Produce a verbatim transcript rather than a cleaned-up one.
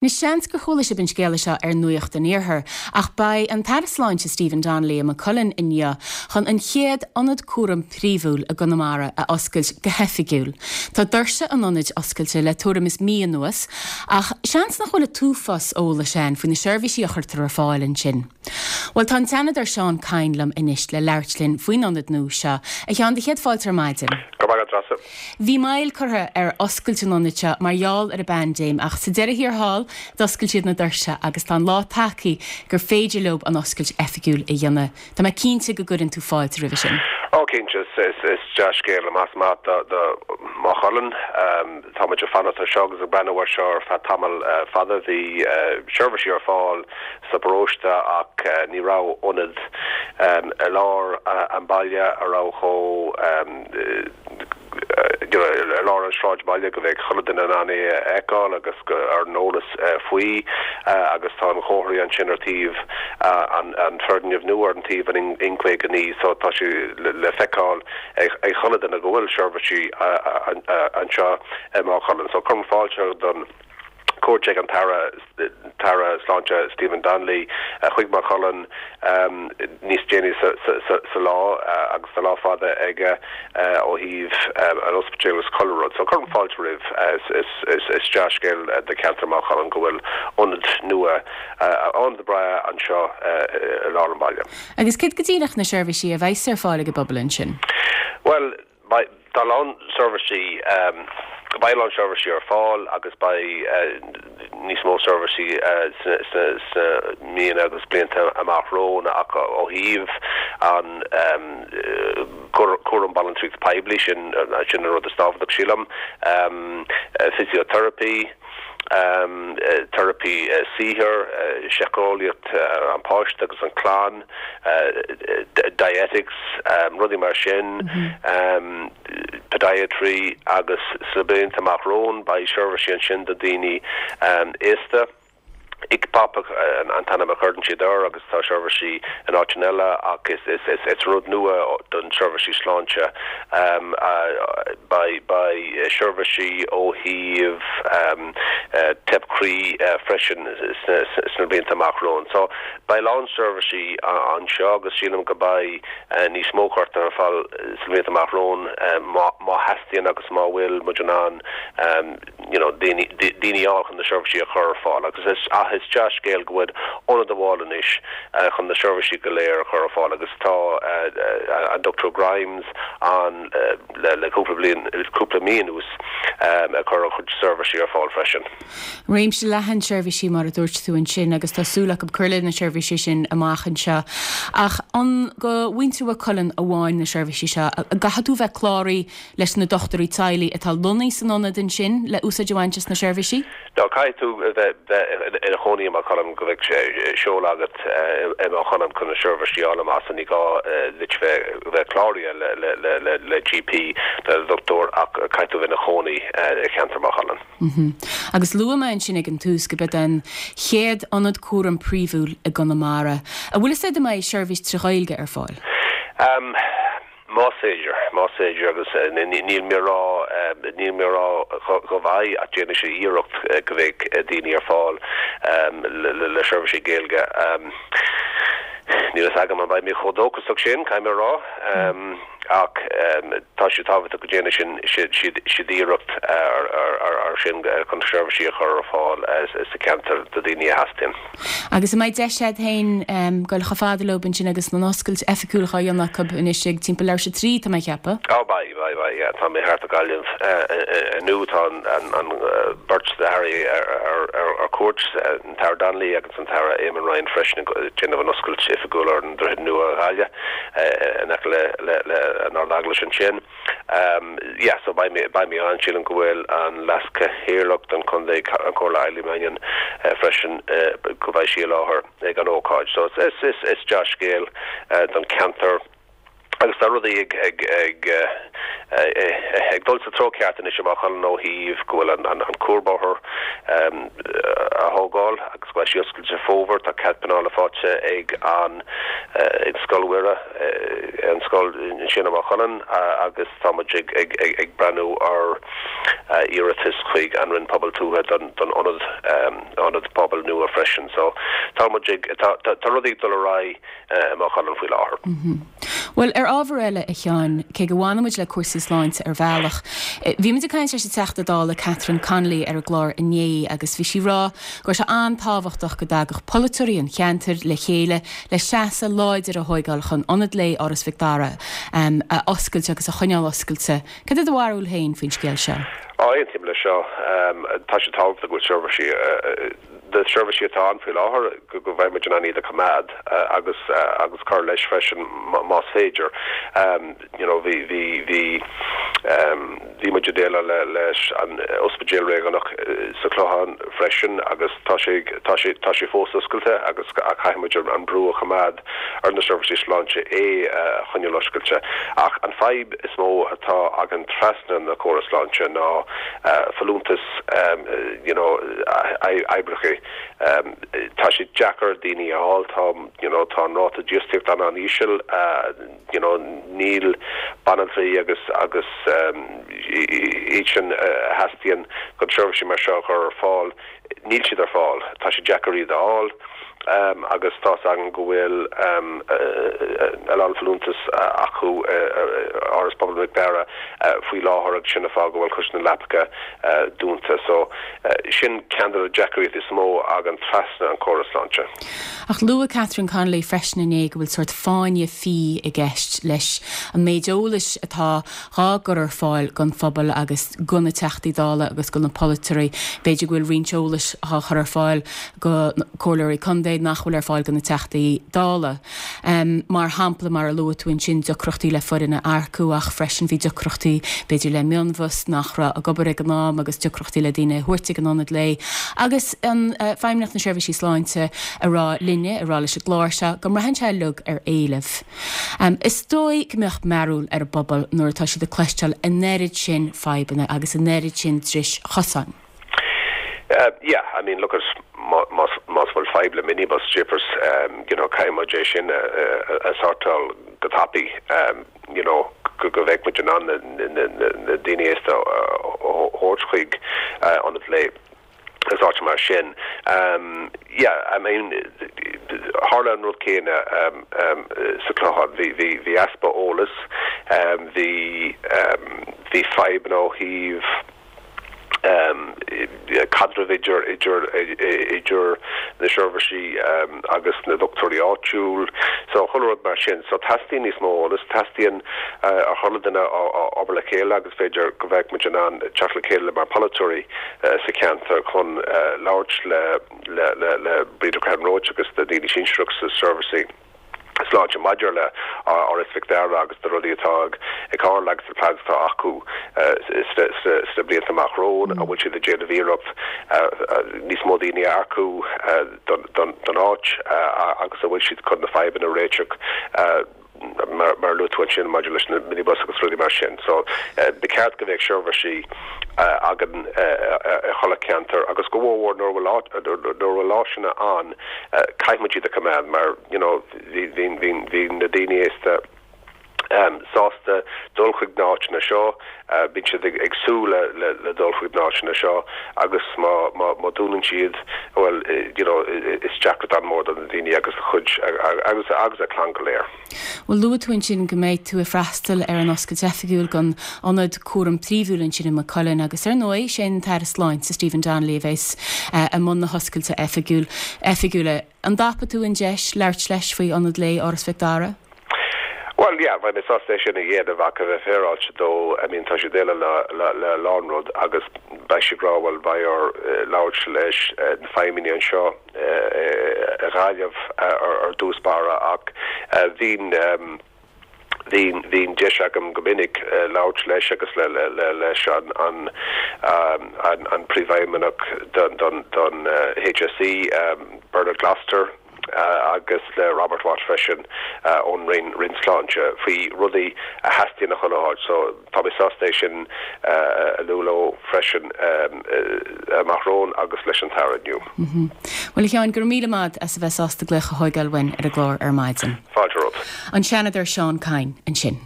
Anois seans gur chuala sibh an scéala seo ar Nuacht an Iarthair, ach beidh an tAire Sláinte Stephen Donnelly i Maigh Cuilinn inniu chun an chéad ionad cúram príomhúil i gConamara a oscailt go hoifigiúil. Tá doirse an ionaid oscailte le tuairim is mí anuas, ach seans nach bhfuil an t-uafás eolais ann faoi na seirbhísí a chuirtear ar fáil ansin. Bhuel tá an Seanadóir Seán Kyne liom anois le labhairt linn faoin ionad nua seo. A Sheáin, do chéad fáilte ar maidin. Go maith Treasa. Bhí moill curtha ar oscailt an ionaid seo mar gheall ar an bpaindéim ach sa deireadh thiar thall d'oscail siad na doirse agus tá an lá tagtha gur féidir leo an oscailt oifigiúil a dhéanamh. Tá mé cinnte go gcuireann tú fáilte roimhe sin. Ó cinnte is is dea-scéal más maith do do Maigh Cuilinn tá muid ag fanacht seo agus ag breathnú air seo ar feadh tamall fada bhí seirbhísí ar fáil sa bparóiste ach ní raibh ionad i lár an baile a raibh chomh i lár an sráidbhaile go bheadh chuile dhuine in ann é a fheiceáil agus ar an eolas faoi agus tá an chomharthaí ansin ar taobh an an foirgneamh nua ar an taobh an N caoga naoi so tá sé le feiceáil ag chuile dhuine go bhfuil seirbhísí anseo i Maigh Cuilinn. So cuirim fáilte don cuairt ag an tAire tAire Sláinte Stephen Donnelly chuig Maigh Cuilinn níos déanaí sa lá agus tá lá fada aige ó thaobh an ospidéal agus chuile rud. So cuirim fáilte roimh is dea-scéal do cheantar Maigh Cuilinn go bhfuil ionad nua ionad breá anseo i lár an bhaile. Agus cad go díreach na seirbhísí a bheas ar fáil ag an bpobal ansin? Well tá lán seirbhísí beidh lán seirbhísí ar fáil agus beidh níos mó seirbhísí sna míonna agus blianta amach romhainn ach ó thaobh an cúram banaltraí poiblí sin sin an rud is tábhachtaí sílim physiotherapy um, teiripí uh, saothair, uh, síceolaíocht uh, an páiste agus an clann, uh, dietetics, um, rudaí mar sin, mm -hmm. um, podiatry agus sna blianta amach romhainn beidh seirbhísí ansin do daoine um, aosta. ICPAP an t-ainm a chuireann siad air agus tá seirbhísí in áiteanna eile ach is is is is rud nua don seirbhísí sláinte um, uh, beidh beidh seirbhísí ó thaobh um, uh, teip croí uh, freisin sna blianta amach romhainn. So beidh lán seirbhísí anseo agus sílim go mbeidh uh, níos mó curtha ar fáil sna blianta amach romhainn uh, má theastaíonn agus má bhfuil muid in ann um, you know, daoine chun na seirbhísí a chur ar fáil agus is ach is dea-scéal go bhfuil ionad amháin anois uh, chun na seirbhísí go léir a chur ar fáil agus tá uh, uh, an Dr Grimes an uh, le, le cúpla bliain cúpla mí anuas um, a chur a chur seirbhísí ar fáil freisin. Réimse leathan seirbhísí mar a dúirt tú ansin agus tá súil acu cur leis na seirbhísí sin amach anseo. Ach an do mhuintir Mhaigh Cuilinn amháin na seirbhísí seo, caithfidh tú bheith cláraithe leis na dochtúirí teaghlaigh atá lonnaithe san ionad ansin le úsáid a bhaint as na seirbhísí? Ná caithfidh tú bheith ina chónaí i Maigh Cuilinn go bheadh seoladh agat i Maigh Cuilinn chun na seirbhísí a fháil amach ní gá duit bheith cláraithe le le le le le GP le dochtúir ach caithfidh tú bheith ina chónaí i cheantar Maigh Cuilinn. Mm -hmm. Agus luaigh mé ansin ag an tús go mbeidh an chéad ionad cúram príomhúil i gConamara. An bhfuil sé mbeidh seirbhís trí Ghaeilge ar fáil? Um, Más féidir más féidir agus níl mé rá níl mé rá go mbeidh ach déanfaidh sé iarracht go mbeidh daoine ar fáil le le seirbhísí Gaeilge. Níl a fhios agam an mbeidh mé chomh dóchasach sin caithfidh mé rá ach tá sé tábhachtach go ndéanfaidh sin siad siad iarracht ar sin chun seirbhísí a chur ar fáil sa cheantar do daoine a theastaíonn. Agus an mbeidh deis agat féin dul chomh fada leo ansin agus an oscailt oifigiúil á dhéanamh acu anois ag timpeall leathuair tar éis a trí tá mé ag ceapadh? Á beidh beidh beidh tá mé thart i Gaillimh inniu tá an beirt de airí ar cuairt an tAire Donnelly agus an tAire Eamon Ryan freisin déanamh an oscailt oifigiúil ar an Droichead Nua Ghaillimh in aice le le an Ard-Eaglais ansin. Um, yeah, so beidh mé beidh mé ann sílim go bhfuil an Leas-Chathaoirleach don chontae an Comhairle Eileen Mannion uh, freisin uh, go mbeidh sí i láthair ag an ócáid. So is is is dea-scéal uh, don ceantar agus tá rudaí ag ag ag ag dul sa treo ceart anois amach an ó thaobh go bhfuil an an, an cuarbhóthar um, a thógáil tógáil agus go mbeidh sí oscailte sa fómhar. Tá cead pleanála faighte ag an ag Scoil Mhuire, an scoil ansin i Maigh Cuilinn, agus tá muid ag ag ag breathnú ar iarratas chuig an Roinn Pobail Tuaithe don don ionad ionad pobail nua freisin. So tá muid ag tá tá rudaí ag dul ar aghaidh i Maigh Cuilinn faoi láthair. Bhuel, ar ábhar eile, a Sheáin, cé go bhfanann muid le cúrsaí sláinte ar bhealach, bhí muid ag caint leis an Teachta Dála Catherine Connolly ar an gclár inné agus bhí sí ag rá go raibh sé an-tábhachtach go dtagadh polaiteoirí an cheantair le chéile le seasamh láidir a thóigeáil chun Ionad Lae Áras Mhic Dara a oscailt agus a choinneáil oscailte. Cad é do bharúil féin faoin scéal seo? Á, aontaím leis seo. Tá sé tábhachtach go bhfuil seirbhísí na seirbhísí atá ann faoi láthair go go mbeidh muid in ann iad a choimeád agus agus cur leis freisin más féidir. You know, bhí bhí bhí bhí muid ag déileáil le leis an ospidéal réigiúnach sa Chlochán freisin agus tá sé tá sé tá sé fós oscailte agus caithfidh muid an brú a choimeád ar na seirbhísí sláinte é a choinneáil oscailte. Ach an fadhb is mó atá againn trasna na córas sláinte ná folúntas you know, oibrithe. Tá sé deacair daoine a fháil, tá you know, tá an ráta dífhostaíochta an-íseal, you know, níl banaltraí agus agus iad sin a theastaíonn chun seirbhísí mar seo a chur ar fáil, níl siad ar fáil, tá sé deacair iad a fháil. Um, agus tá an go bhfuil um, a lán folúntas acu Áras Pobail Mhic Dara faoi láthair agus sin an fáth go bhfuil cuid na leapacha dúnta. So sin ceann de na deacrachtaí is mó againn trasna an córas sláinte. Ach luaigh Catherine Connolly freisin inné go bhfuil sórt fáinne fí i gceist leis an méid eolais atá dhá gcur ar fáil don phobal agus do na Teachtaí Dála agus do na polaiteoirí. B'fhéidir go bhfuil roinnt eolais á chur ar fáil do chomhairleoirí contae nach bhfuil ar fáil do na Teachtaí Dála. Um, mar shampla mar a luaigh tú ansin deacrachtaí le foireann a earcú ach freisin bhí deacrachtaí b'fhéidir le mionbhus nach raibh ag obair ag an am agus deacrachtaí le daoine a thabhairt ag an ionad lae. Agus an uh, Feidhmeannacht na Seirbhísí Sláinte ag rá linne ag rá leis an gclár seo go mbraitheann sé uilig ar éileamh. Um, is dóigh go mbeadh mearbhall ar an bpobal nuair atá siad ag cloisteáil an oiread sin fadhbanna agus an oiread sin dris chosáin. Uh, yeah, I mean, look at más más bhfuil fadhb le minibus jeepers, um, you know, caithfidh muid é sin a, a, a shórtáil go tapaidh, um, you know, go go mbeidh muid in ann na, na, na, na daoine aosta a thabhairt chuig uh, ionad lae is áit mar sin. Um, yeah, I mean, tharla an rud céanna um, um, sa Chlochán bhí bhí bhí easpa eolas, um, bhí um, bhí fadhbanna ó thaobh um, caidreamh idir idir idir na seirbhísí um, agus na dochtúirí áitiúil so chuile rud mar sin so teastaíonn níos mó eolas teastaíonn uh, a chuile duine obair le chéile agus b'fhéidir go mbeadh muid in ann teacht le chéile mar polaiteoirí uh, sa cheantar chun uh, labhairt le le le le Breda Roach agus na daoine sinsearach sa seirbhísí sláinte maidir le Áras Mhic Dara agus na rudaí atá ag tarlú agus na plans atá acu sna blianta amach romhainn an bhfuil siad ag déanamh iarracht níos mó daoine a earcú don áit agus an bhfuil siad chun na fadhbanna a réiteach mar mar luaigh tú ansin maidir leis na minibus agus rudaí mar sin. So ba cheart go bheadh seirbhísí againn i chuile cheantar agus go mhór nuair bhfuil áiseanna ann caithfidh muid iad a choimeád mar you know bhí bhí bhí bhí na daoine aosta um, sásta dul chuig na háiteanna seo, uh, bíonn siad ag, ag súil le, le, le dul chuig na háiteanna seo agus má má má dúnann siad well you know is deacracht an-mhór do na daoine agus a chuid agus agus a clann go léir. Well luaigh tú ansin go mbeidh tú ag freastal ar an oscailt oifigiúil don ionad cúram príomhúil ansin i Maigh Cuilinn agus ar ndóigh sé an tAire Sláinte Stephen Donnelly a bheas uh, i mbun na hoscailte oifigiúil oifigiúla. An dtapóidh tú an deis labhairt leis faoi ionad lae Áras Mhic Dara? Well yeah, bheinn sásta sin a dhéanamh ach a bheith féaráilte dó I mean tá sé déile le le le lánrud agus beidh sé ag rá well beidh air labhairt leis na feidhmeannaigh anseo i nGaillimh ar dtús báire ach bhín bhín bhín deis agam go minic labhairt leis agus le le le leis an an an an príomhfheidhmeannach don don don HSE um, Bernard Gloster agus le Robert Watt freisin ón Roinn Roinn Sláinte faoi rudaí a theastaíonn a chur so tá mé sásta é sin a lua leo freisin amach romhainn agus leis an tAire inniu. Well a Sheáin go míle maith as a bheith sásta glaoch a thógáil uainn ar an gclár ar maidin. Fáilte romhat. An Seanadóir Seán Kyne ansin.